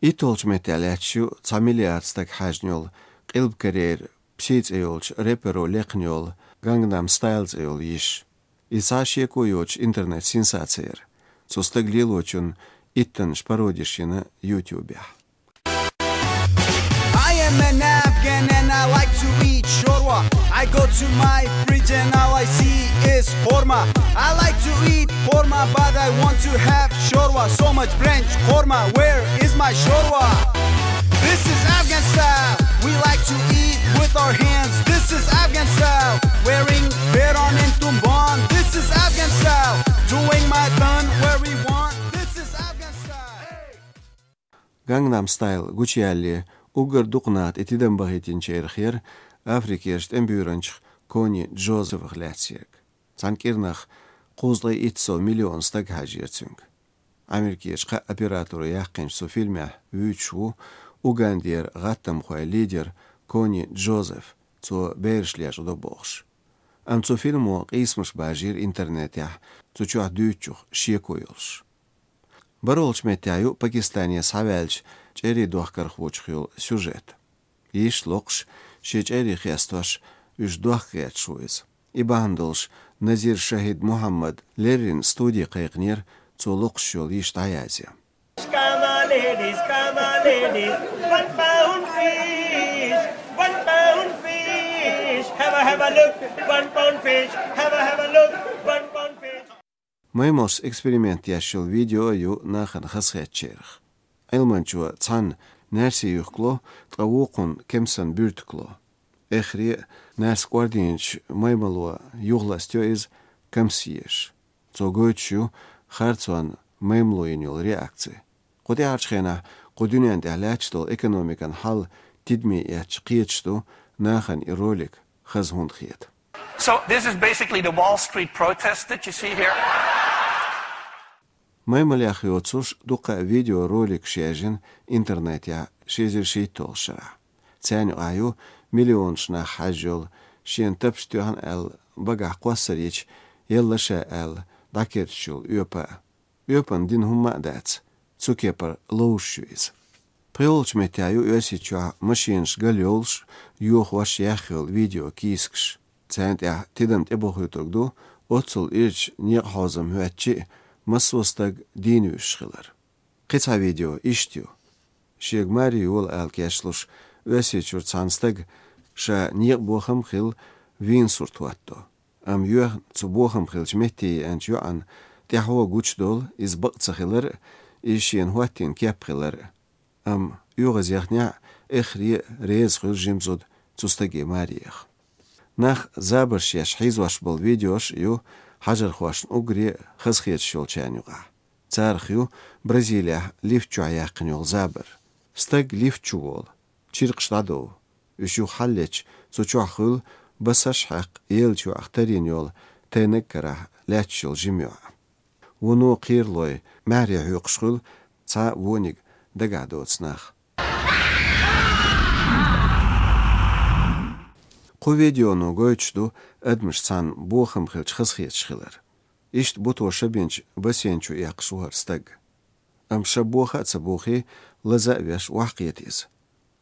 Itolç metaletschu familiarstak hajnjol qilb karer psits eolch repero leknjol Gangnam Styles eol ish. Isashi koyoch internet sensatser. Цостаг лилочун иттен шпародишина YouTube. I am an Afghan and I like to eat shorwa. I go to my fridge and all I see is korma. I like to eat korma but I want to have shorwa. So much French korma, where is my shorwa? This is Afghan style. We like to eat with our hands. This is Afghan style. Wearing beron and tumban. This is Afghan style. Doing my thun where we want. This is Afghan style. Gangnam Style guccialli ugar duqnat etiden bahitin cherkhir Afrikirst embürench Koni Joseph Glatsiek. Sankirnach quzday itso million stag hajirtsung. Amerikirch operatoru yaqinch so filmah üchu Ugandir gattam khoy lider Koni Joseph so bershliash do bokhsh. Am so filmo qismish bajir internetya so chuh düchuh shiekoyolsh. Barolch metayu Pakistania savelch чери дуахкар хвучхил сюжет. Иш локш шечери хястош үш дуахкет шуиз. Ибандолш Назир Шахид Мухаммад Лерин студии кайгнер цу локшол иш таязя. Come on ladies, 1 pound fish, 1 pound fish. Have a look, 1 pound fish. Have a look, 1 pound fish. Маймос эксперимент яшил видео ю нахан хасхетчерх. Elmanchua цан нерси юхкло травукун кемсан бюрткло. Эхри нерс гвардинч маймалуа югластё из камсиеш. Цогойчу харцуан маймлоинюл реакции. Қоди арчхена қодюнян дәлячтол экономикан хал тидми яч қиечту нахан и ролик хазхунд хиет. So this is basically the Wall Street protest that you see here. Маймалях йоцуш дука видеоролик шежин интернетя шезерши толшара. Цяню аю миллионшна хажол шен тапштухан эл бага қвасарич еллаша эл дакерчул юпа. Юпан дин хумма дац. Цукепар лоушуиз. Приолч метяю ёсичуа машинш галёлш юх ваш яхил видео кискш. Цянт я тидамт эбохютогду отсул ирч нир хазам хуачи Масостаг динюшхилар. Қица видео иштю. Шегмари юл алкешлуш өсечур цанстаг ша нир бохам хил вин суртуатто. Am юх цу бохам хил жметти анчуан тяхуа гучдол из бақцахилар ишен хуаттин кепхилар. Am югаз яхня эхри рез хил жимзуд цустаги мариях. Нах забарш яш хизваш бол видеош ю حجر خواشن أجري خزخيت شولشان يقع. تارخيو برازيليا ليفتشو عياقن يول زابر. ستاق ليفتشو وول. تشيرقش دادو. وشو حليتش تشو خول بساش حق يلشو اختارين يول تينكره لاتشول جميع. ونو قيرلوي ماريا يقشخول تا وونيق دقادو تسناخ. قو فيديونو гоечду أدمش цан بوخم خلش خزخيت شخلر. إشت بوتو شبينش بسينشو يقشوهر ستق. أم شبوخة تبوخي لزق بيش وحقيتيز.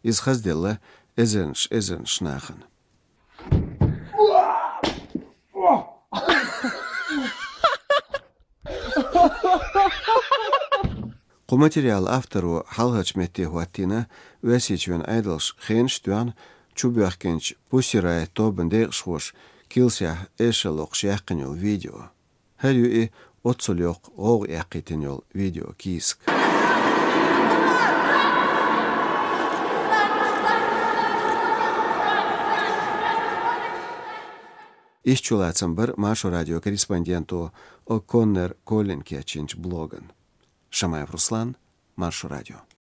إز خزدله إزنش ناخن. قو ماتريال أفترو حالهاش متي هواتينا واسيچوان أيدلش خينش دوان Чубяхкенч пусирай тобен дершхош килсях эшелок шяхкенюл видео. Херю и отсолёк ог яқитенюл видео киск. Исчулацам бір Машу радио корреспонденту О'Коннер Колин кячинч блоган. Шамаев Руслан, Машу радио.